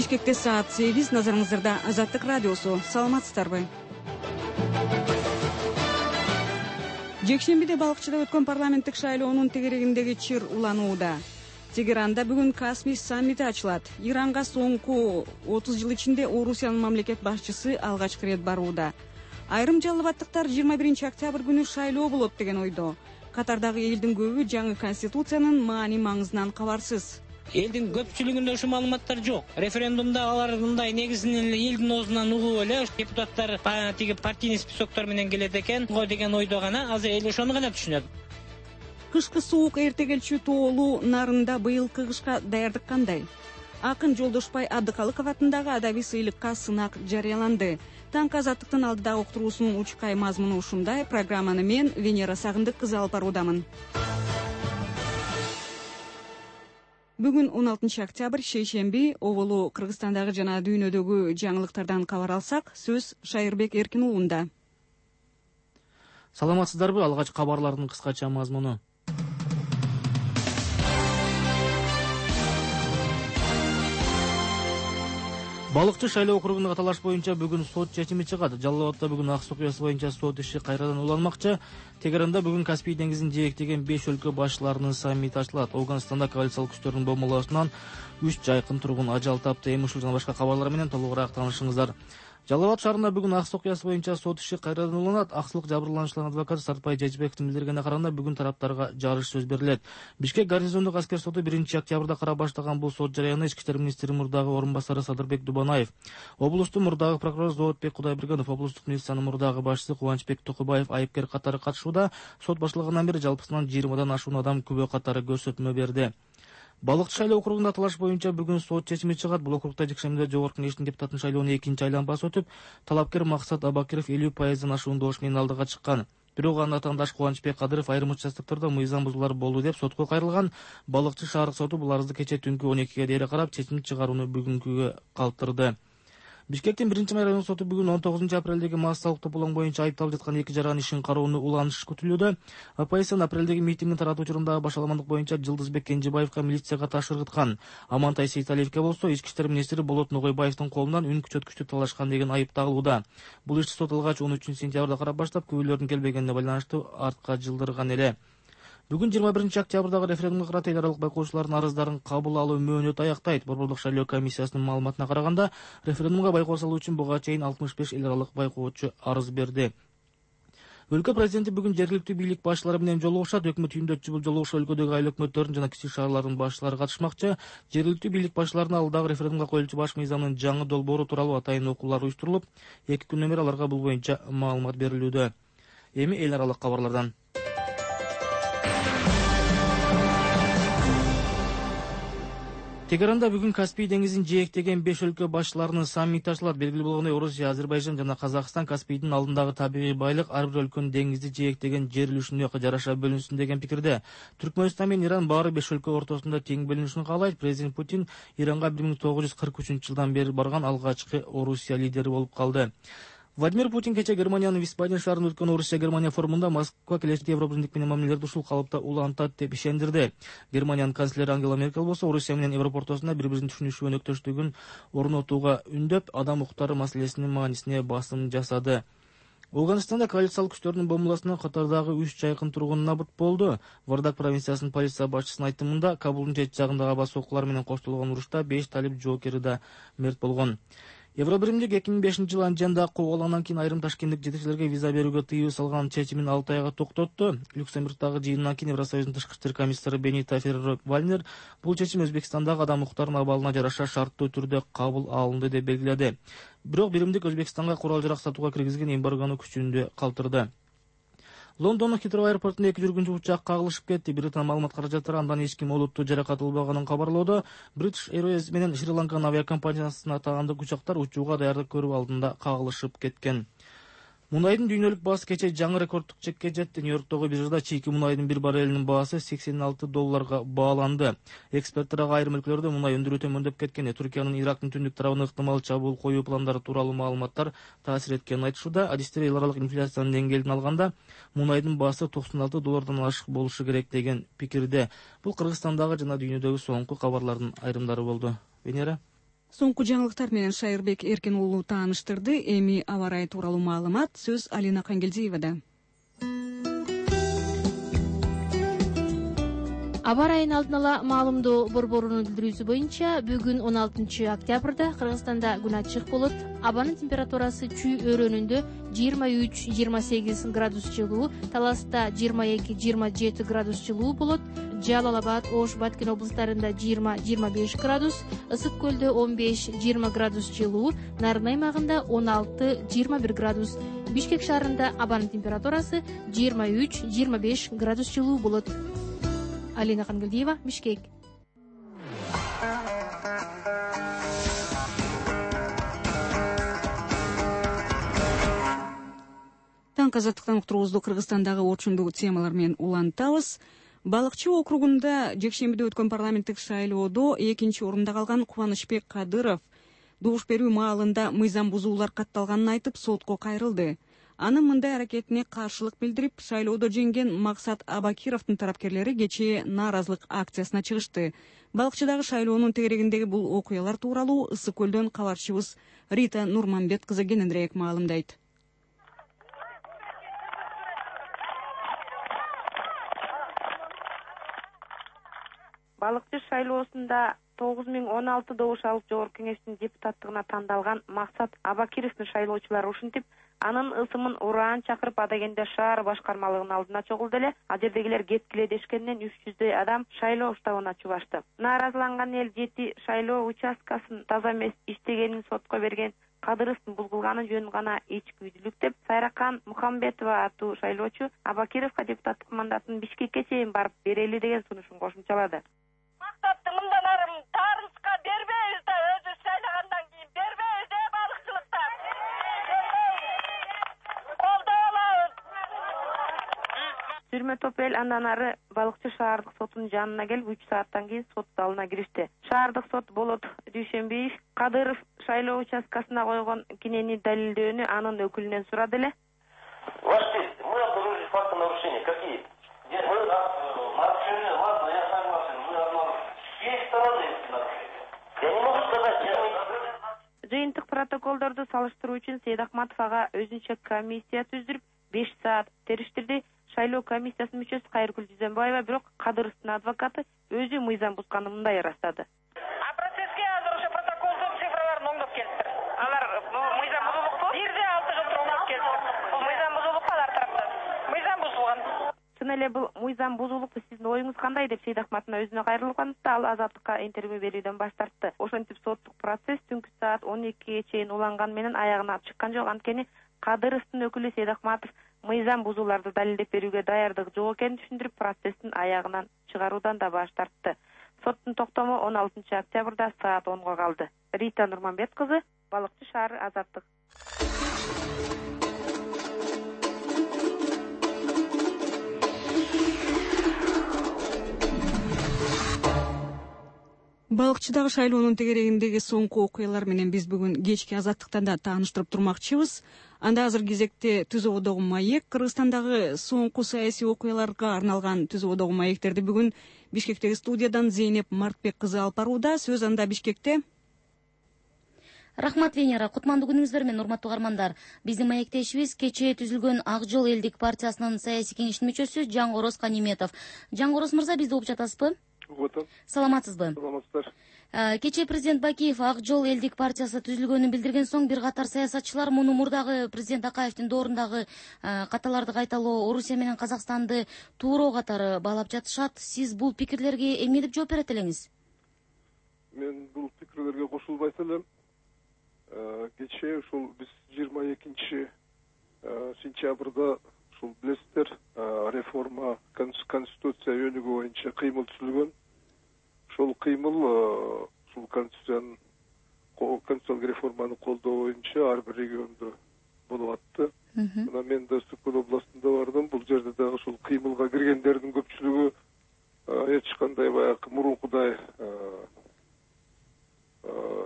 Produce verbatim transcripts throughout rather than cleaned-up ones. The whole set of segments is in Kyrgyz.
Бишкекте саат сегиз, назарыңыздарда Азаттык радиосу. Саламатсыздарбы? Жекшембиде Балыкчыда өткөн парламенттик шайлоонун тегерегиндеги чыр уланууда. Тегеранда бүгүн Каспий саммити ачылат. Иранга соңку отуз жыл ичинде Орусиянын мамлекет башчысы алгачкы ирет барууда. Айрым жалалбаттыктар жыйырма биринчи октябрь күнү шайлоо болот деген ойдо. Катардагы элдин көбү жаңы конституциянын маани маңызынан кабарсыз. Элдин көпчүлүгүндө ушул маалыматтар жок. Референдумда алар мындай негизинен элдин оозунан угуп эле депутаттар тиги партийный списоктор менен келет экен го деген ойдо гана, азыр эл ошону гана түшүнөт. Кышкы суук эрте келчү тоолуу нарында быйылкы кышка даярдык кандай? Акын Жолдошбай Абдыкалыков атындагы адабий сыйлыкка сынак жарыяланды. Таңкы Азаттыктын алдыдагы уктуруусунун учкай мазмуну ушундай. Программаны мен Венера Сагындык кызы алып баруудамын. Бүгүн он алтынчы октябрь, шейшемби, оболу Кыргызстандагы жана дүйнөдөгү жаңылыктардан кабар алсак, сөз Шайырбек Эркин уулунда. Саламатсыздарбы? Алгач кабарлардын кыскача мазмуну. Балыкчы шайлоо округундагы талаш боюнча бүгүн сот чечими чыгат. Жалал Абадда бүгүн ак суу куясы боюнча сот иши кайрадан уланмакчы. Тегеранда бүгүн Каспий деңизин жээктеген беш өлкө башчыларынын саммити ачылат. Ауганстанда коалициялык күчтөрдүн бомбалоосунан үч жайкын тургун ажал тапты. Эми ушул жана башка кабарлар менен толугураак таанышыңыздар. Жалал Абад шаарында бүгүн ак суу куясы боюнча сот иши кайрадан уланат. Аксулук жабырлануучулардын адвокаты Сартбай Жежбековдун билдиргенине караганда, бүгүн тараптарга жарыш сөз берилет. Бишкек гарнизондук аскер соту биринчи октябрда кара баштаган бул сот жарыяны ички иштер министри мурдагы орун басары Садырбек Дубанаев, облустун мурдагы прокурору Зоотбек Кудайбергенов, облустук милициянын мурдагы башчысы Кубанычбек Токубаев айыпкер катары катышууда. Сот башталгандан бери жалпысынан жыйырмадан ашуун адам күбө катары көрсөтмө берди. Балыкчы шайлоо округунда талаш боюнча бүгүн сот чечими чыгат. Бул округда жекшембиде жогорку кеңештин депутатын шайлоонун экинчи айланбасы өтүп, талапкер Максат Абакиров элүү пайыздан ашуун добуш менен алдыга чыккан. Бирок анын атаандаш Кубанычбек Кадыров айрым участоктордо мыйзам бузуулар болду деп сотко кайрылган. Балыкчы шаардык соту бул арызды кечээ түнкү он экиге дейре карап, чечим чыгарууну бүгүнкүгө калтырды. Бишкектин биринчи май райондук соту бүгүн он тогузунчу апрелдеги массалык тополоң боюнча айыпталып жаткан эки жаран ишин кароону уланыш күтүлүүдө. Оппозициянын апрелдеги митингин таратуу учурундагы башаламандык боюнча Жылдызбек Кенжебаевка милицияга таш ыргыткан. Амантай Сейталиевке болсо ички иштер министри Болот Ногойбаевдин колунан үн күчөткүчтү талашкан деген айып тагылууда. Бул ишти сот алгач он үчүнчү сентябрда карап баштап, күбөлөрдүн келбегенине байланыштуу артка жылдырган эле. Бүгүн жыйырма биринчи октябрдагы референдумга карата эл аралык байкоочулардын арыздарын кабыл алуу мөөнөтү аяктайт. Борбордук шайлоо комиссиясынын маалыматына караганда, референдумга байкоо салуу үчүн буга чейин алтымыш беш эл аралык байкоочу арыз берди. Өлкө президенти бүгүн жергиликтүү бийлик башчылары менен жолугушат. Өкмөт үйүндө бул жолугушуу өлкөдөгү айыл өкмөттөрдүн жана кичи шаарлардын башчылары катышмакчы. Жергиликтүү бийлик башчыларына алдагы референдумга коюлчу баш мыйзамдын жаңы долбоору тууралуу атайын окуулар уюштурулуп, эки күндөн бери аларга бул боюнча маалымат берилүүдө. Эми эл аралык кабарлардан. Тегеранда бүгүн Каспий деңизин жээктеген беш өлкө башчыларынын саммити ачылат. Белгилүү болгондой, Орусия, Азербайжан жана Казакстан Каспийдин алдындагы табигый байлык ар бир өлкөнүн деңизди жээктеген жер үлүшүнө жараша бөлүнсүн деген пикирде. Түркмөнстан менен Иран баары беш өлкө ортосунда тең бөлүнүшүн каалайт. Президент Путин Иранга бир миң тогуз жүз кырк үчүнчү жылдан бери барган алгачкы Орусия лидери болуп калды. Владимир Путин кече Германиянын Висбаден шаарында өткөн Орусия-Германия форумунда Москва келечекте Европабирлик менен мамилелерди ушул калыпта улантат деп ишендирди. Германиянын канцлери Ангела Меркель болсо Орусия менен Европа ортосунда бири-биринин түшүнүшү өнөктөштүгүн орнотууга үндөп, адам укуктары маселесинин маанисине басым жасады. Ауганстанда коалициялык күчтөрдүн бомбалоосунан Катардагы үч жайкын тургун набыт болду. Вардак провинциясынын полиция башчысынын айтымында, Кабулдун чет жагындагы аба соккулар менен коштолгон урушта беш талип жоокери да мерт болгон. Евробиримдик эки миң бешинчи жылы Анжанда кубалгандан кийин айрым ташкенттик жетекчилерге виза берүүгө тыюу салган чечимин алты айга токтотту. Люксембургдагы жыйындан кийин Евросоюздун тышкы иштер комиссары Бенита Феррер-Вальнер бул чечим Өзбекстандагы адам укуктарынын абалына жараша шарттуу түрдө кабыл алынды деп белгиледи. Бирок биримдик Өзбекстанга курал-жарак сатууга киргизген эмбаргону күчүндө калтырды. Лондондун Хитроу аэропортунда эки жүргүнчү учак кагылышып кетти. Британ маалымат каражаттары андан эч ким олуттуу жаракат албаганын кабарлоодо. British Airways менен Шри-Ланканын авиакомпаниясына таандык учактар учууга даярдык көрүү алдында кагылышып кеткен. Мунайдын дүйнөлүк баасы кече жаңы рекордтук чекке жетти. Нью-Йорктогу биржада чийки мунайдын бир баррелинин баасы сексен алты долларга бааланды. Эксперттер айрым өлкөлөрдө мунай өндүрүү төмөндөп кеткен. Түркиянын Ирактын түндүк тарабына ыктымал чабуул коюу пландары тууралуу маалыматтар таасир эткенин айтышууда. Адистер эл аралык инфляциянын деңгээлин алганда мунайдын баасы токсон алты доллардан ашык болушу керек деген пикирде. Бул Кыргызстандагы жана дүйнөдөгү соңку кабарлардын айрымдары болду. Венера. Соңку жаңылыктар менен Шайырбек Эркин уулу тааныштырды. Эми аба ырайы тууралуу маалымат сөз Алина Кангелдиевада. Аба ырайынын алдын ала маалымдоо борборунун билдирүүсү боюнча бүгүн он алтынчы октябрда Кыргызстанда күн ачык болот. Абанын температурасы Чүй өрөөнүндө жыйырма үч жыйырма сегиз градус жылуу, Таласта жыйырма эки жыйырма жети градус жылуу болот. Жалал Абад, Ош, Баткен облустарында жыйырма жыйырма беш градус, Ысык көлдө он беш жыйырма градус жылуу, Нарын аймагында он алты жыйырма бир градус. Бишкек шаарында абанын температурасы жыйырма үч жыйырма беш градус жылуу болот. Алина Кангелдиева, Бишкек. Таң азаттыктан уктуруубузду Кыргызстандагы орчундуу темалар менен улантабыз. Балыкчы округунда жекшембиде өткөн парламенттик шайлоодо экинчи орунда калган Кубанычбек Кадыров добуш берүү маалында мыйзам бузуулар катталганын айтып сотко кайрылды. Анын мындай аракетине каршылык билдирип, шайлоодо жеңген Максат Абакировдун тарапкерлери кечээ нааразылык акциясына чыгышты. Балыкчыдагы шайлоонун тегерегиндеги бул окуялар тууралуу Ысык көлдөн кабарчыбыз Рита Нурманбет кызы кененирээк маалымдайт. Балыкчы шайлоосунда тогуз миң он алты добуш алып жогорку кеңештин депутаттыгына тандалган Максат Абакировдун шайлоочулары ушинтип, анын ысымын ураан чакырып Адагенде шаар башкармалыгынын алдына чогулду эле. Ал жердегилер кеткиле дешкенден үч жүздөй адам шайлоо штабына чубашты. Нааразыланган эл жети шайлоо участкасын таза эмес иштегенин сотко берген Кадыровдун бул кылганы жөн гана ичкүйдүлүк деп, Сайракан Мухамбетова аттуу шайлоочу Абакировго депутаттык мандатын Бишкекке чейин барып берели деген сунушун кошумчалады. Мактапты мындан ары тарыска бербейбиз да, өзү шайлагандан кийин бербейбиз да балыкчылыкта. Колдой алабыз. Сүрмө топ эл андан ары Балыкчы шаардык сотунун жанына келип үч сааттан кийин сот залына киришти. Шаардык сот Болот Дүйшөнбиев Кадыров шайлоо участкасына койгон кинени далилдөөнү анын өкүлүнөн сурады эле. Ваш честь, мы обнаружили факты нарушения. Какие? Мы нарушения, ладно, я согласен, мы обнаружили. С чьей стороны нарушения? Я не могу сказать, я... Жыйынтык протоколдорду салыштыруу үчүн Сейдахматов ага өзүнчө комиссия түздүрүп беш саат териштирди. Шайлоо комиссиясынын мүчөсү Кайыргүл Жүзөнбаева бирок Кадыровдун адвокаты өзү мыйзам бузганын мындай ырастады. А процесске азыр ошо протоколдун цифраларын оңдоп келиптир. Алар мыйзам бузулукту бир де алты жылтыр оңдоп келиптир. Бул мыйзам бузулукту алар тараптан. Мыйзам бузулган. Чын эле бул мыйзам бузулукту сиздин оюңуз кандай деп Сейдахматовна өзүнө кайрылганда ал Азаттыкка интервью берүүдөн баш тартты. Ошентип соттук процесс түнкү саат он экиге чейин уланган менен аягына чыккан жок. Анткени Кадыровдун өкүлү Сейдахматов мыйзам бузууларды далилдеп берүүгө даярдык жок экенин түшүндүрүп, процесстин аягынан чыгаруудан да баш тартты. Соттун токтому он алтынчы октябрда саат онго калды. Рита Нурманбет кызы, Балыкчы шаары, Азаттык. Балыкчыдагы шайлоонун тегерегиндеги соңку окуялар менен биз бүгүн кечки Азаттыктан да тааныштырып турмакчыбыз. Анда азыр кезекте Түз ободогу маек, Кыргызстандагы соңку саясий окуяларга арналган Түз ободогу маектерди бүгүн Бишкектеги студиядан Зейнеп Мартбек кызы алып барууда. Сөз анда Бишкекте. Рахмат, Венера. Кутмандуу күнүңүздөр менен, урматтуу каармандар. Биздин маектешибиз кечээ түзүлгөн Ак жол элдик партиясынын саясий кеңештин мүчөсү Жаңгороз Каниметов. Жаңгороз мырза, бизди угуп жатасызбы? Угуп атам. Саламатсызбы? Саламатсыздар. Кечээ президент Бакиев Ак жол элдик партиясы түзүлгөнүн билдирген соң бир катар саясатчылар муну мурдагы президент Акаевдин доорундагы каталарды кайталоо Орусия менен Казакстанды тууроо катары баалап жатышат. Сиз бул пикирлерге эмне деп жооп берет элеңиз? Мен бул пикирлерге кошулбайт элем. Кечээ ушул биз жыйырма экинчи сентябрда ушул билесиздер, реформа конституция өнүгүү боюнча кыймыл түзүлгөн. Ошол кыймыл ушул конституциянын конституциялык реформаны колдоо боюнча ар бир региондо болуп атты. Мына мен да Ысык көл областында бардым. Бул жерде дагы ушул кыймылга киргендердин көпчүлүгү эч кандай баягы мурункудай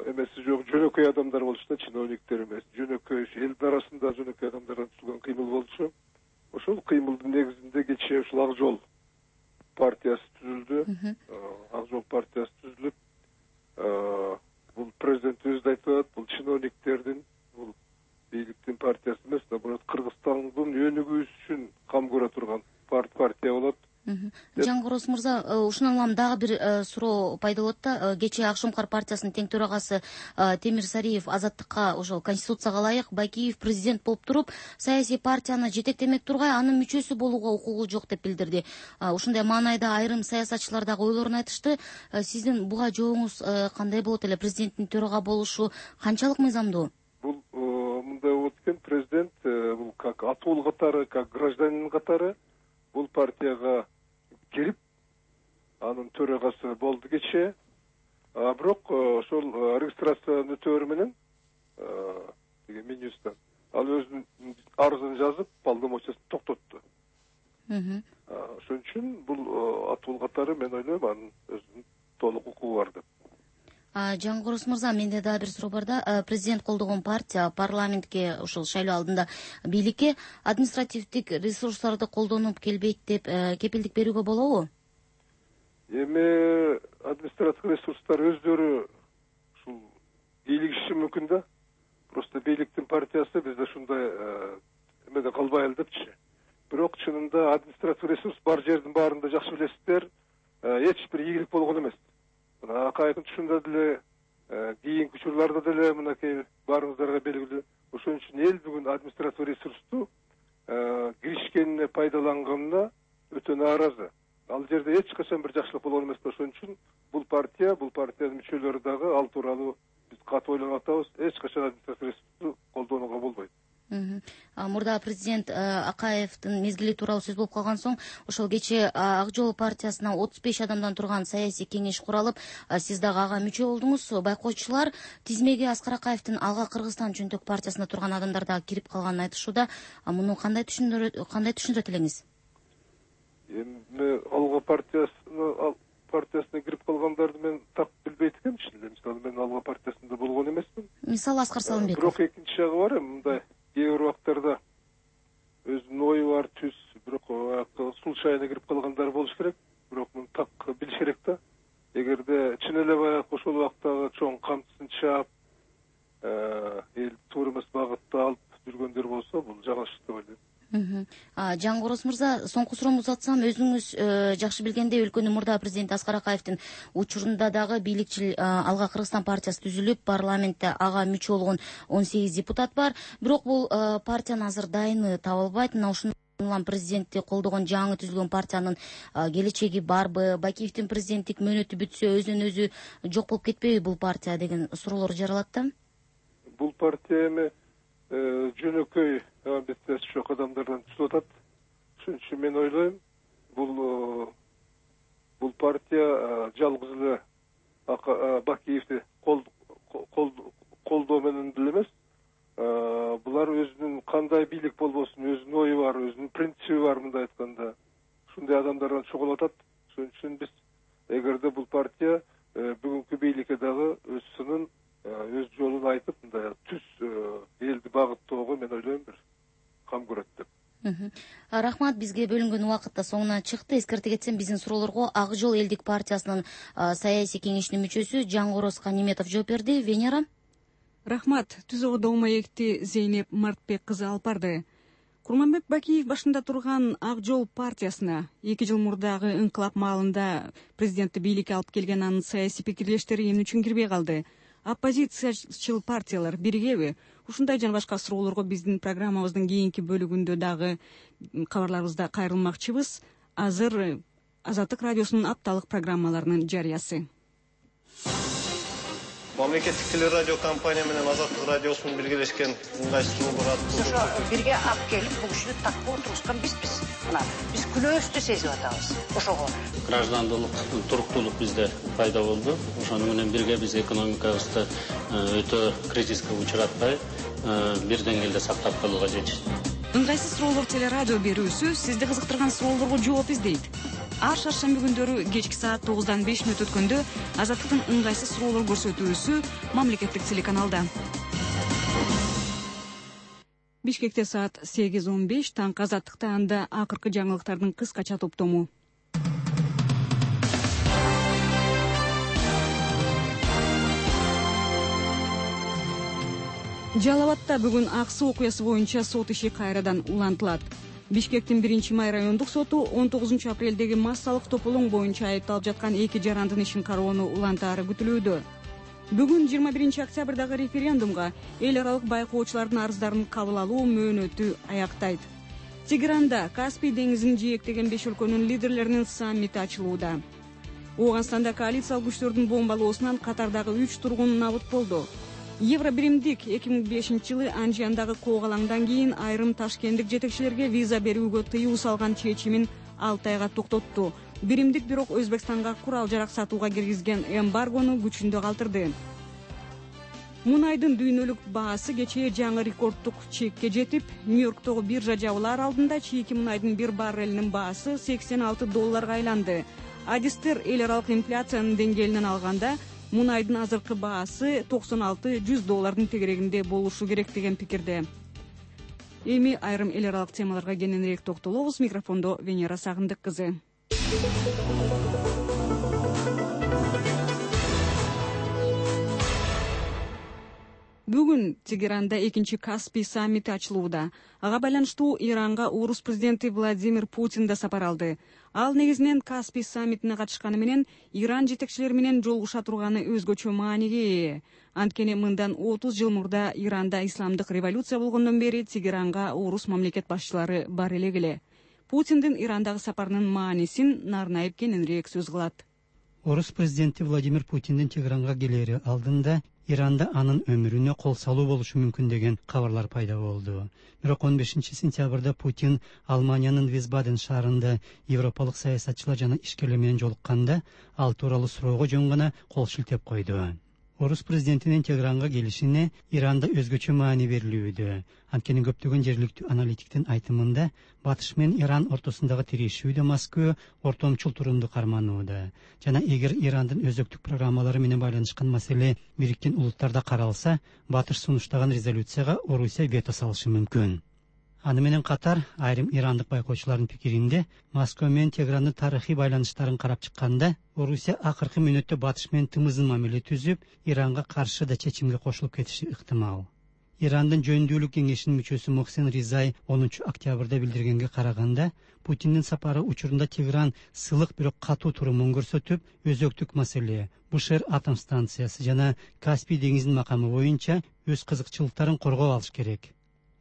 эмеси жок, жөнөкөй адамдар болчу да, чиновниктер эмес, жөнөкөй элдин арасында жөнөкөй адамдардан түзүлгөн кыймыл болчу. Ошол кыймылдын негизинде кечээ ушул Ак жол партиясы түзүлдү. Ак жол партиясы түзүлүп, бул президент өзү да айтып атат, бул чиновниктердин, бул бийликтин партиясы эмес да, бул Кыргызстандын өнүгүүсү үчүн кам көрө турган партия болот. Жангороз мырза, ушундан улам дагы бир суроо пайда болот да. Кечээ Ак Шумкар партиясынын тең төрагасы Темир Сариев Азаттыкка ошол Конституцияга ылайык Бакиев президент болуп туруп, саясий партияны жетектемек тургай анын мүчөсү болууга укугу жок деп билдирди. Ушундай маанайда айрым саясатчылар дагы ойлорун айтышты. Сиздин буга жообуңуз кандай болот эле? Президенттин төрага болушу канчалык мыйзамдуу? Бул мындай болот экен, президент бул как атоол катары, как гражданин катары бул партияга кирип, анын төрагасы болду кечээ. А бирок ошол регистрациянын өтөөрү менен тиги Минюстан ал өзүнүн арызын жазып, полномочиясын токтотту. Ошон үчүн бул атоол катары мен ойлойм анын өзүнүн толук укугу бар деп. Жангороз мырза, менде дагы бир суроо бар да. Президент колдогон партия парламентке ушул шайлоо алдында бийликке административдик ресурстарды колдонуп келбейт деп кепилдик берүүгө болобу? Эми административдик ресурстар өздөрү ушул бийлигиши мүмкүн да. Просто бийликтин партиясы бизде ушундай эмеде калбайлы депчи. Бирок чынында административдик ресурс бар жердин баарында жакшы билесиздер, эч бир ийгилик болгон эмес. Мына Акаевдин түшүндө деле, кийинки учурларда деле мынакей баарыңыздарга белгилүү. Ошон үчүн эл бүгүн административдик ресурсту киришкенине пайдаланганына өтө нааразы. Ал жерде эч качан бир жакшылык болгон эмес. Ошон үчүн бул партия, бул партиянын мүчөлөрү дагы ал тууралуу биз катуу ойлонуп атабыз. Эч качан административдик ресурсту колдонууга болбойт. Мурда президент Акаевдин мезгили тууралуу сөз болуп калган соң, ошол кечээ Ак жол партиясына отуз беш адамдан турган саясий кеңеш куралып, сиз дагы ага мүчө болдуңуз. Байкоочулар тизмеге Аскар Акаевдин Алга Кыргызстан чөнтөк партиясында турган адамдар дагы кирип калганын айтышууда. Муну кандай түшүндүрөт, кандай түшүндүрөт элеңиз? Эми Алга партиясына партиясына кирип калгандарды мен так билбейт экенмин. Мисалы мен Алга партиясында болгон эмесмин. Мисалы Аскар Салымбеков. Бирок экинчи жагы бар, мындай кээ бир убактарда өзүнүн ою бар, түз, бирок случайно кирип калгандар болуш керек. Бирок муну так билиш керек да. Эгерде чын эле баягы ошол убактагы чоң камчысын чаап, эл туура эмес багытта алып жүргөндөр болсо, бул жаңылыш деп ойлойм. Жангороз мырза, соңку суроомду узатсам, өзүңүз жакшы билгендей өлкөнүн мурда президенти Аскар Акаевдин учурунда дагы бийликчил Алга Кыргызстан партиясы түзүлүп, парламентте ага мүчө болгон он сегиз депутат бар. Бирок бул партиянын азыр дайыны табылбайт. Мына ушундан улам президентти колдогон жаңы түзүлгөн партиянын келечеги барбы? Бакиевдин президенттик мөөнөтү бүтсө өзүнөн өзү жок болуп кетпейби бул партия деген суроолор жаралат да. Бул партия эми жөнөкөй амбициясы жок адамдардан түзүп атат. Ошон үчүн мен ойлойм, бул бул партия жалгыз эле Бакиевди колдоо менен деле эмес. Булар өзүнүн кандай бийлик болбосун, өзүнүн ою бар, өзүнүн принциби бар, мындай айтканда. Ушундай адамдардан чогулуп атат. Ошон үчүн биз эгерде бул партия бүгүнкү бийликке дагы өз сынын, өз жолун айтып, мындай түз элди багыттоого мен ойлойм бир кам көрөт деп. Рахмат, бизге бөлүнгөн убакыт да соңуна чыкты. Эскерте кетсем, биздин суроолорго Ак жол элдик партиясынын саясий кеңешинин мүчөсү Жангороз Каниметов жооп берди. Венера. Рахмат. Түзөгүдө маекти Зейнеп Мартбек кызы алып барды. Курманбек Бакиев башында турган Ак жол партиясына эки жыл мурдагы инкылап маалында президентти бийликке алып келген анын саясий пикирлештери эмне үчүн кирбей калды? Оппозициячыл партиялар биригеби? Ушундай жана башка суроолорго биздин программабыздын кийинки бөлүгүндө дагы кабарларыбызда кайрылмакчыбыз. Азыр Азаттык радиосунун апталык программаларынын жарыясы. Мамлекеттик телерадио компания менен Азаттык радиосунун биргелешкен ыңгайсыз долбоор аттуу. Ошо бирге алып келип, бул кишини так отургузган бизбиз. Мына биз күнөөбүздү сезип атабыз. Ошого граждандылык, туруктуулук бизде пайда болду. Ошону менен бирге биз экономикабызды өтө кризиске учуратпай, бир деңгээлде сактап калууга жетиштик. Ыңгайсыз суроолор телерадио берүүсү сизди кызыктырган суроолорго жооп издейт. Ар шаршемби күндөрү кечки саат тогуздан беш мүнөт өткөндө Азаттыктын ыңгайсыз суроолор көрсөтүүсү мамлекеттик телеканалда. Бишкекте саат сегиз он беш, таңкы Азаттыкта анда акыркы жаңылыктардын кыскача топтому. Жалал Абадта бүгүн ак суу окуясы боюнча сот иши кайрадан улантылат. Бишкектин биринчи май райондук соту он тогузунчу апрелдеги массалык тополоң боюнча айыпталып жаткан эки жарандын ишин кароону улантаары күтүлүүдө. Бүгүн жыйырма биринчи октябрдагы референдумга эл аралык байкоочулардын арыздарын кабыл алуу мөөнөтү аяктайт. Тегеранда Каспий деңизин жээктеген беш өлкөнүн лидерлеринин саммити ачылууда. Ооганстанда коалициялык күчтөрдүн бомбалоосунан Катардагы үч тургун набыт болду. Евробиримдик эки миң бешинчи жылы Анжиандагы коогалаңдан кийин айрым ташкенттик жетекчилерге виза берүүгө тыюу салган чечимин алты айга токтотту. Биримдик бирок Өзбекстанга курал жарак сатууга киргизген эмбаргону күчүндө калтырды. Мунайдын дүйнөлүк баасы кечээ жаңы рекордтук чекке жетип, Нью-Йорктогу биржа жабылар алдында чийки мунайдын бир баррелинин баасы сексен алты долларга айланды. Адистер эл аралык инфляциянын деңгээлинен алганда мунайдын азыркы баасы токсон алты жүз доллардын тегерегинде болушу керек деген пикирде. Эми айрым эл аралык темаларга кененирээк токтолобуз. Микрофондо Венера Сагындык кызы. Бүгүн Тегеранда экинчи Каспий саммити ачылууда. Ага байланыштуу Иранга Орус президенти Владимир Путин да сапар алды. Ал негизинен Каспий саммитине катышканы менен Иран жетекчилери менен жолугуша турганы өзгөчө мааниге ээ. Анткени мындан отуз жыл мурда Иранда исламдык революция болгондон бери Тегеранга Орус мамлекет башчылары бар элек эле. Путиндин Ирандагы сапарынын маанисин Нарнаев кененирээк сөз кылат. Орус президенти Владимир Путиндин Тегеранга келери алдында Иранда анын өмүрүнө кол салуу болушу мүмкүн деген кабарлар пайда болду. Бирок он бешинчи сентябрда Путин Алманиянын Висбаден шаарында европалык саясатчылар жана ишкерлер менен жолукканда ал тууралуу суроого жөн гана кол шилтеп койду. Орус президентинин Тегеранга келишине Иранда өзгөчө маани берилүүдө. Анткени көптөгөн жергиликтүү аналитиктин айтымында Батыш менен Иран ортосундагы тирешүүдө Москва ортомчул турумду карманууда. Жана эгер Ирандын өзөктүк программалары менен байланышкан маселе Бириккен Улуттарда каралса, Батыш сунуштаган резолюцияга Орусия вето салышы мүмкүн. Аны менен катар айрым ирандык байкоочулардын пикиринде Москва менен Тегерандын тарыхый байланыштарын карап чыкканда Орусия акыркы мүнөттө Батыш менен тымызын мамиле түзүп, Иранга каршы да чечимге кошулуп кетиши ыктымал. Ирандын жөндөөлүк кеңешинин мүчөсү Мохсен Ризай онунчу октябрда билдиргенге караганда, Путиндин сапары учурунда Тегеран сылык бирок катуу турумун көрсөтүп, өзөктүк маселе Бушер атом станциясы жана Каспий деңизинин макамы боюнча өз кызыкчылыктарын коргоп алыш керек.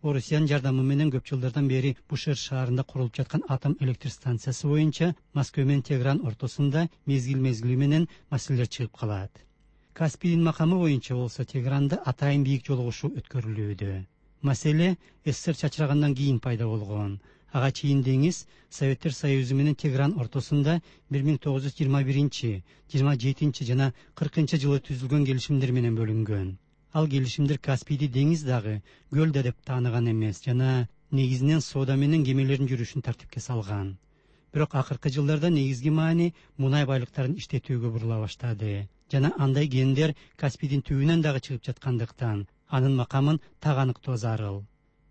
Орусиянын жардамы менен көп жылдардан бери Бушер шаарында курулуп жаткан атом электр станциясы боюнча Москва менен Тегеран ортосунда мезгил-мезгили менен маселелер чыгып калат. Каспийдин макамы боюнча болсо Тегеранда атайын бийик жолугушуу өткөрүлүүдө. Маселе СССР чачырагандан кийин пайда болгон. Ага чейин деңиз Советтер Союзу менен Тегеран ортосунда бир миң тогуз жүз жыйырма биринчи, жыйырма жетинчи жана кыркынчы жылы түзүлгөн келишимдер менен бөлүнгөн. Ал келишимдер Каспийди деңиз дагы көл да деп тааныган эмес жана негизинен соода менен кемелердин жүрүшүн тартипке салган. Бирок акыркы жылдарда негизги маани мунай байлыктарын иштетүүгө бурула баштады жана андай кендер Каспийдин түбүнөн дагы чыгып жаткандыктан анын макамын так аныктоо зарыл.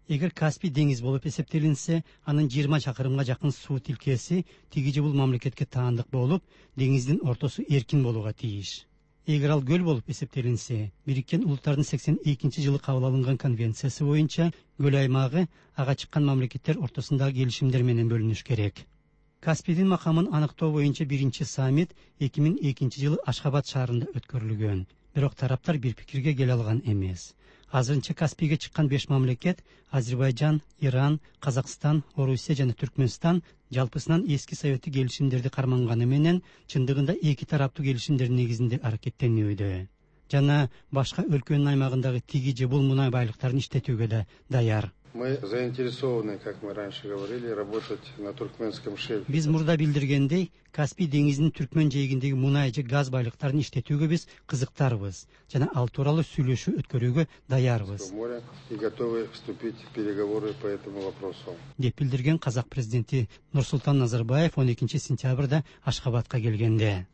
Эгер Каспий деңиз болуп эсептелинсе, анын жыйырма чакырымга жакын суу тилкеси тиги же бул мамлекетке таандык болуп, деңиздин ортосу эркин болууга тийиш. Эгер ал көл болуп эсептелинсе, Бириккен Улуттардын сексен экинчи жылы кабыл алынган конвенциясы боюнча көл аймагы ага чыккан мамлекеттер ортосундагы келишимдер менен бөлүнүш керек. Каспийдин макамын аныктоо боюнча биринчи саммит эки миң экинчи жылы Ашхабад шаарында өткөрүлгөн. Бирок тараптар бир пикирге келе алган эмес. Азырынча Каспийге чыккан беш мамлекет Азербайжан, Иран, Казакстан, Орусия жана Түркмөнстан жалпысынан эски советтик келишимдерди карманганы менен чындыгында эки тараптуу келишимдердин негизинде аракеттенүүдө. Жана башка өлкөнүн аймагындагы тиги же бул мунай байлыктарын иштетүүгө да даяр. Мы заинтересованы, как мы раньше говорили, работать на туркменском шельфе. Биз мурда билдиргендей, Каспий деңизинин Түркмөн жээгиндеги мунай же газ байлыктарын иштетүүгө биз кызыктарбыз жана ал тууралуу сүйлөшүү өткөрүүгө даярбыз. И готовы вступить в переговоры по этому вопросу. Деп билдирген казак президенти Нурсултан Назарбаев он экинчи сентябрда Ашхабадка келгенде.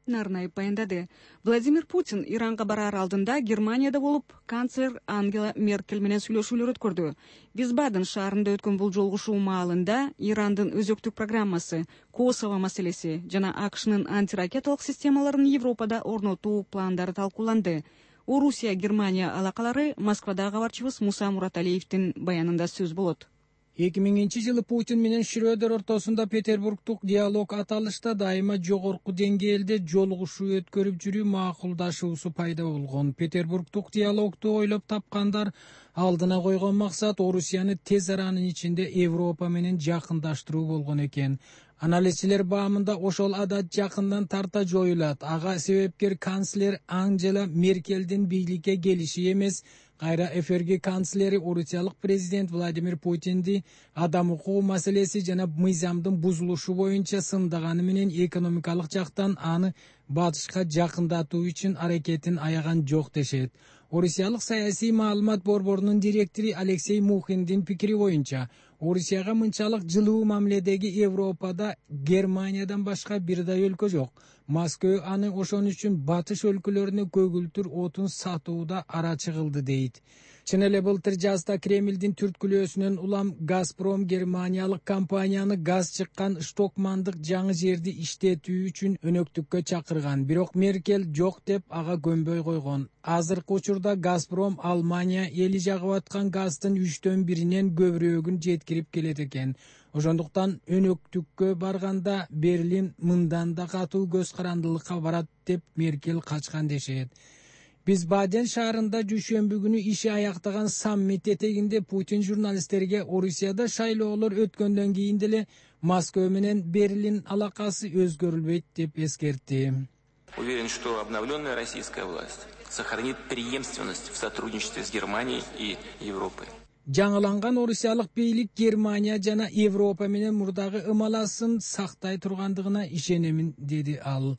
Нарнаев баяндады. Владимир Путин Иранга барар алдында Германияда болуп, канцлер Ангела Меркель менен сүйлөшүүлөр өткөрдү. Висбаден шаарында өткөн бул жолугушуу маалында Ирандын өзөктүк программасы, Косово маселеси жана АКШнын антиракеталык системаларын Европада орнотуу пландары талкууланды. Орусия Германия алакалары Москвадагы кабарчыбыз Муса Мураталиевдин баянында сөз болот. эки миңинчи жылы Путин менен Шрёдер ортосунда Петербургдук диалог аталышта дайыма жогорку деңгээлде жолугушуу өткөрүп жүрүү макулдашуусу пайда болгон. Петербургдук диалогду ойлоп тапкандар алдына койгон максат Орусияны тез аранын ичинде Европа менен жакындаштыруу болгон экен. Анализчилер баамында ошол адат жакындан тарта жоюлат. Ага себепкер канцлер Анжела Меркелдин бийликке келиши эмес, кайра эфирги канцлери орусиялык президент Владимир Путинди адам укугу маселеси жана мыйзамдын бузулушу боюнча сындаганы менен экономикалык жактан аны батышка жакындатуу үчүн аракетин аяган жок дешет. Орусиялык саясий маалымат борборунун директору Алексей Мухиндин пикири боюнча, Орусияга мынчалык жылуу мамиледеги Европада Германиядан башка бирдай өлкө жок. Москва аны ошон үчүн батыш өлкөлөрүнө көгүлтүр отун сатууда арачы кылды дейт. Чын эле былтыр жазда Кремлдин түрткүлөөсүнөн улам Газпром германиялык компанияны газ чыккан Штокмандык жаңы жерди иштетүү үчүн өнөктүккө чакырган. Бирок Меркель жок деп ага көнбөй койгон. Азыркы учурда Газпром Алмания эли жагып аткан газдын үчтөн биринен көбүрөөгүн жеткирип келет экен. Ошондуктан өнөктүккө барганда Берлин мындан да катуу көз карандылыкка барат деп Меркель качкан дешет. Биз Баден шаарында дүйшөмбү күнү иши аяктаган саммит этегинде Путин журналисттерге Орусияда шайлоолор өткөндөн кийин деле Москва менен Берлин алакасы өзгөрүлбөйт деп эскертти. Уверен, что обновленная российская власть сохранит преемственность в сотрудничестве с Германией и Европой. Жаңыланган орусиялык бийлик Германия жана Европа менен мурдагы ымаласын сактай тургандыгына ишенемин, деди ал.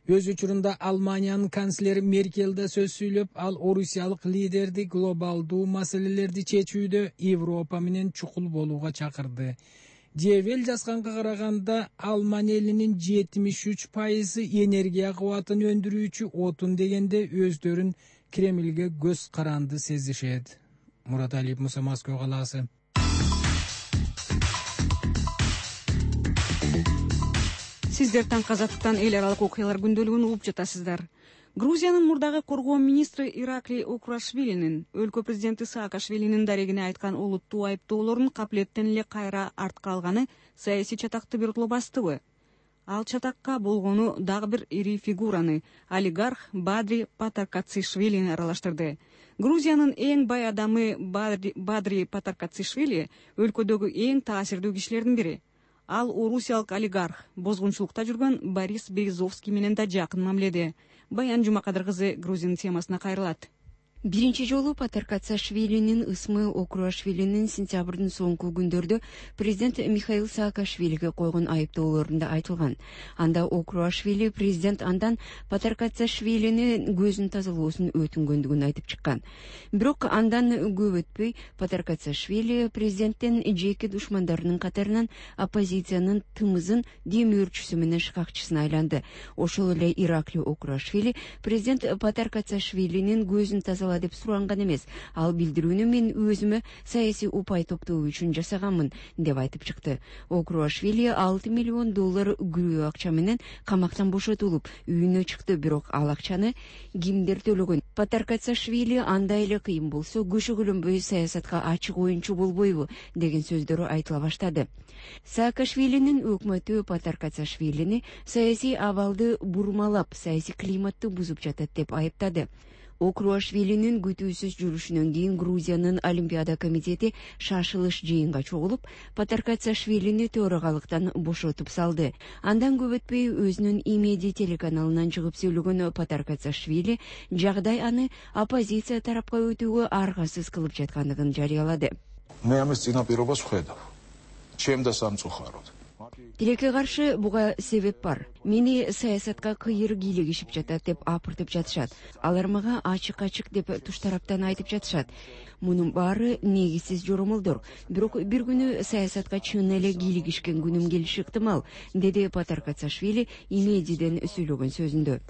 Өз учурунда Алманиянын канцлери Меркель да сөз сүйлөп, ал орусиялык лидерди глобалдуу маселелерди чечүүдө Европа менен чукул болууга чакырды. Девел жазганга караганда, Алман элинин жетимиш үч пайызы энергия кубатын өндүрүүчү отун дегенде өздөрүн Кремлге көз каранды сезишет. Мураталиев, Муса, Москва калаасы. Сиздер Таңкы Азаттыктан эл аралык окуялар күндөлүгүн угуп жатасыздар. Грузиянын мурдагы коргоо министри Иракли Окурашвилинин өлкө президенти Саакашвилинин дарегине айткан олуттуу айыптоолорун капилеттен эле кайра артка алганы саясий чатакты биротоло бастыбы? Ал чатакка болгону дагы бир ири фигураны, олигарх Бадри Патаркацишвилини аралаштырды. Грузиянын эң бай адамы Бадри, Бадри Патаркацишвили өлкөдөгү эң таасирдүү кишилердин бири. Ал орусиялык олигарх, бозгунчулукта жүргөн Борис Березовский менен да жакын мамиледе. Баян Жумакадыр кызы Грузиянын темасына кайрылат. Биринчи жолу Патаркацишвилинин ысмы Окурашвилинин сентябрдын соңку күндөрдө президент Михаил Саакашвилиге койгон айыптоолорунда айтылган. Анда Окурашвили президент андан Патаркацишвилинин көзүн тазалоосун өтүнгөндүгүн айтып чыккан. Бирок андан көп өтпөй Патаркацишвили президенттин жеке душмандарынын катарынан оппозициянын тымызын демөөрчүсү менен шкакчысына айланды. Ошол эле Иракли Окурашвили президент Патаркацишвилинин көзүн тазалады деп суранган эмес. Ал билдирүүнү мен өзүмө саясий упай топтоо үчүн жасаганмын деп айтып чыкты. Окурашвили алты миллион доллар күрөө акча менен камактан бошотулуп, үйүнө чыкты, бирок ал акчаны кимдер төлөгөн? Патаркацишвили андай эле кыйын болсо көшөгөлөнбөй саясатка ачык оюнчу болбойбу деген сөздөрү айтыла баштады. Саакашвилинин өкмөтү Патаркацишвилини саясий абалды бурмалап, саясий климатты бузуп жатат деп айыптады. Окурашвилинин күтүүсүз жүрүшүнөн кийин Грузиянын Олимпиада комитети шашылыш жыйынга чогулуп, Патаркацишвилини төрагалыктан бошотуп салды. Андан көп өтпөй өзүнүн Имеди телеканалынан чыгып сүйлөгөн Патаркацишвили жагдай аны оппозиция тарапка өтүүгө аргасыз кылып жаткандыгын жарыялады. Тилекке каршы буга себеп бар. Мени саясатка кыйыр кийлигишип жатат деп апыртып жатышат. Алар мага ачык-ачык деп туш тараптан айтып жатышат. Мунун баары негизсиз жоромолдор. Бирок бир күнү саясатка чын эле кийлигишкен күнүм келиши ыктымал, деди Патаркацишвили Имедиден сүйлөгөн сөзүндө.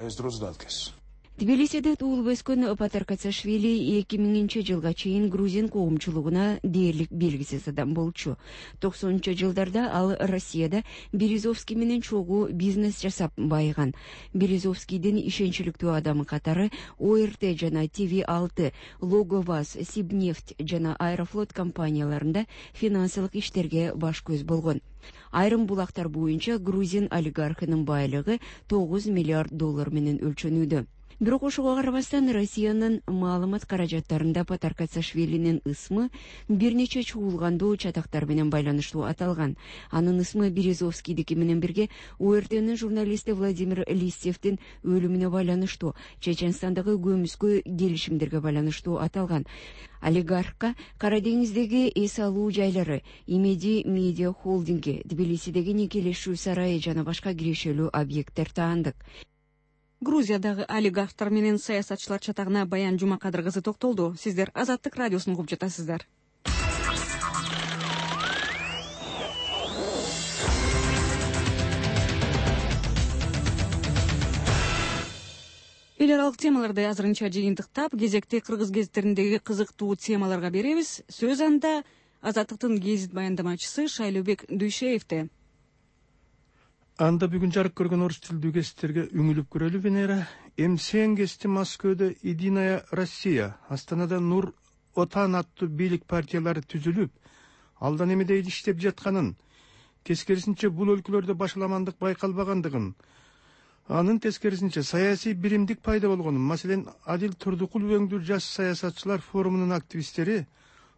Тбилисиде туулуп өскөн Патаркацашвили эки миңинчи жылга чейин грузин коомчулугуна дээрлик белгисиз адам болчу. токсонунчу жылдарда ал Россияда Березовский менен чогуу бизнес жасап байыган. Березовскийдин ишенчиликтүү адамы катары О Р Т жана Т В алты, Логоваз, Сибнефть жана Аэрофлот компанияларында финансылык иштерге баш көз болгон. Айрым булактар боюнча грузин олигархынын байлыгы тогуз миллиард доллар менен өлчөнүүдө. Бирок ошого карабастан Россиянын маалымат каражаттарында Патаркацашвилинин ысмы бир нече чуулгандуу чатактар менен байланыштуу аталган. Анын ысмы Березовскийдики менен бирге О Р Т'нин журналисти Владимир Листьевдин өлүмүнө байланыштуу, Чеченстандагы көмүскө келишимдерге байланыштуу аталган. Олигархка Кара деңиздеги эс алуу жайлары, Имеди медиа холдинги, Тбилисидеги никелешүү сарайы жана башка кирешелүү объекттер таандык. Грузиядагы олигархтар менен саясатчылар чатагына Баян Жумакадыр кызы токтолду. Сиздер Азаттык радиосун угуп жатасыздар. эл аралык темаларды азырынча жыйынтыктап, кезекти кыргыз гезиттериндеги кызыктуу темаларга беребиз. Сөз анда Азаттыктын гезит баяндамачысы Шайлообек Дүйшеевде. Анда бүгүн жарык көргөн орус тилдүү гезиттерге үңүлүп көрөлү. Венера. МСН гезити Москвада Единая Россия, Астанада Нур Отан аттуу бийлик партиялары түзүлүп, алдан эмеде иштеп жатканын, тескерисинче бул өлкөлөрдө башаламандык байкалбагандыгын, анын тескерисинче саясий биримдик пайда болгонун, маселен Адил Турдукул өңдүү жаш саясатчылар форумунун активисттери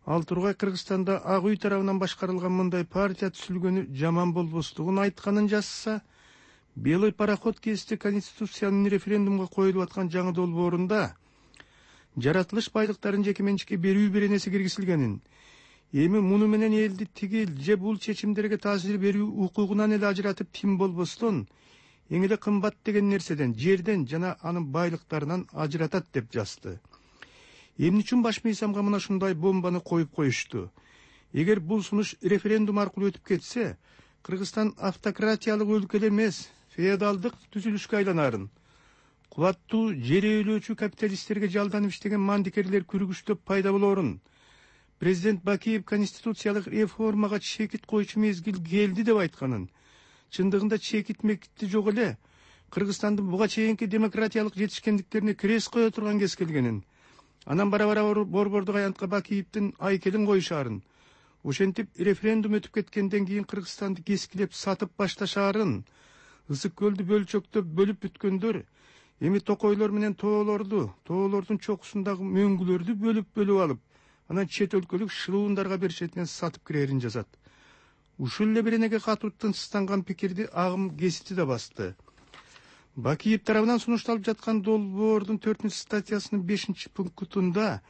Ал тургай Кыргызстанда Ак үй тарабынан башкарылган мындай партия түзүлгөнү жаман болбостугун айтканын жазса, Белый пароход гезити Конституциянын референдумга коюлуп аткан жаңы долбоорунда жаратылыш байлыктарын жеке менчикке берүү беренеси киргизилгенин, эми муну менен элди тигил же бул чечимдерге таасир берүү укугунан эле ажыратып тим болбостон, эң эле кымбат деген нерседен, жерден жана анын байлыктарынан ажыратат деп жазды. Эмне үчүн баш мыйзамга мына ушундай бомбаны коюп коюшту? Эгер бул сунуш референдум аркылуу өтүп кетсе, Кыргызстан автократиялык өлкө эмес, феодалдык түзүлүшкө айланарын. Кубаттуу жер ээлөөчү капиталисттерге жалданып иштеген мандикерлер күрүгүчтөп пайда болорун. Президент Бакиев конституциялык реформага чекит койчу мезгил келди деп айтканын. Чындыгында чекит мекитти жок эле. Кыргызстандын буга чейинки демократиялык жетишкендиктерине крес кое турган кез келгенин. Анан бара-бара борбордук аянтка Бакиевдин айкелин коюшаарын. Ошентип референдум өтүп кеткенден кийин Кыргызстанды кескилеп сатып башташаарын. Ысык көлдү бөлчөктөп бөлүп бүткөндөр эми токойлор менен тоолорду, тоолордун чокусундагы мөңгүлөрдү бөлүп-бөлүп алып, анан чет өлкөлүк шылуундарга беришетинен сатып кирерин жазат. Ушул эле беренеге катуу тынчсызданган пикирди Агым гезити да басты. Бакиев тарабынан сунушталып жаткан долбоордун төртүнчү статьясынын бешинчи пунктунда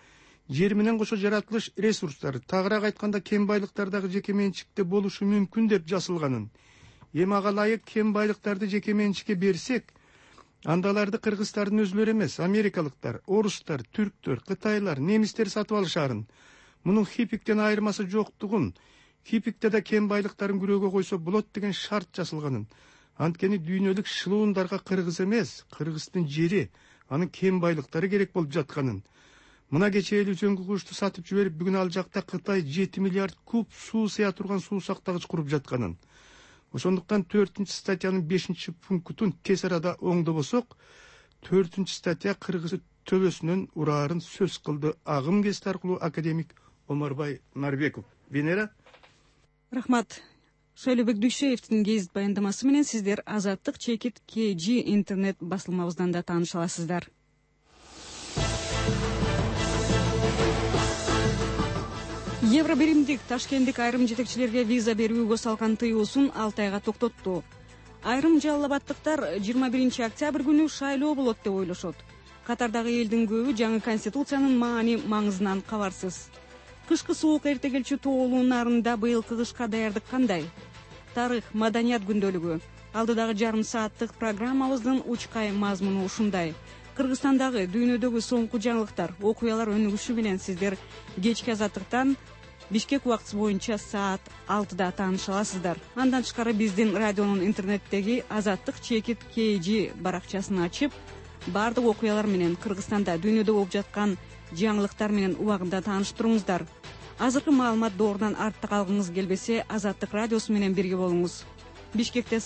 жер менен кошо жаратылыш ресурстары, тагыраак айтканда кен байлыктар дагы жеке менчикте болушу мүмкүн деп жазылганын. Эми ага ылайык кен байлыктарды жеке менчикке берсек, анда аларды кыргыздардын өзүлөрү эмес, америкалыктар, орустар, түрктөр, кытайлар, немистер сатып алышаарын. Мунун хипиктен айырмасы жоктугун, хипикте да кен байлыктарын күрөөгө койсо болот деген шарт жасалганын. Анткени дүйнөлүк шылуундарга Кыргыз эмес, Кыргыздын жери, анын кен байлыктары керек болуп жатканын. Мына кечээ эле үзөңгү кушту сатып жиберип, бүгүн ал жакта Кытай жети миллиард куб суу сыя турган суу сактагыч куруп жатканын. Ошондуктан төртүнчү статьянын бешинчи пунктун тез арада оңдобосок, төртүнчү статья Кыргыз төбөсүнөн ураарын сөз кылды Агым гезити аркылуу академик Омарбай Нарбеков. Венера. Рахмат. Шайлообек Дүйшеевдин гезит баяндамасы менен сиздер Азаттык чекит К Ж интернет басылмабыздан да тааныша аласыздар. Евробиримдик Ташкенттик айрым жетекчилерге виза берүүгө салган тыюусун алты айга токтотту. Айрым жалал абадтыктар жыйырма биринчи октябрь күнү шайлоо болот деп ойлошот. Катардагы элдин көбү жаңы конституциянын маани маңызынан кабарсыз. Кышкы суук эрте келчү тоолуу нарында быйылкы кышка даярдык кандай? Тарых, маданият күндөлүгү. Алдыдагы жарым сааттык программабыздын учкай мазмуну ушундай. Кыргызстандагы, дүйнөдөгү соңку жаңылыктар, окуялар өнүгүшү менен сиздер кечки Азаттыктан Бишкек убактысы боюнча саат алтыда тааныша аласыздар. Андан тышкары биздин радионун интернеттеги Азаттык чекит К Ж баракчасын ачып, баардык окуялар менен, Кыргызстанда дүйнөдө болуп жаткан жаңылыктар менен убагында тааныштырыңыздар. Азыркы маалымат доорунан артта калгыңыз келбесе, Азаттык радиосу менен бирге болуңуз. Бишкекте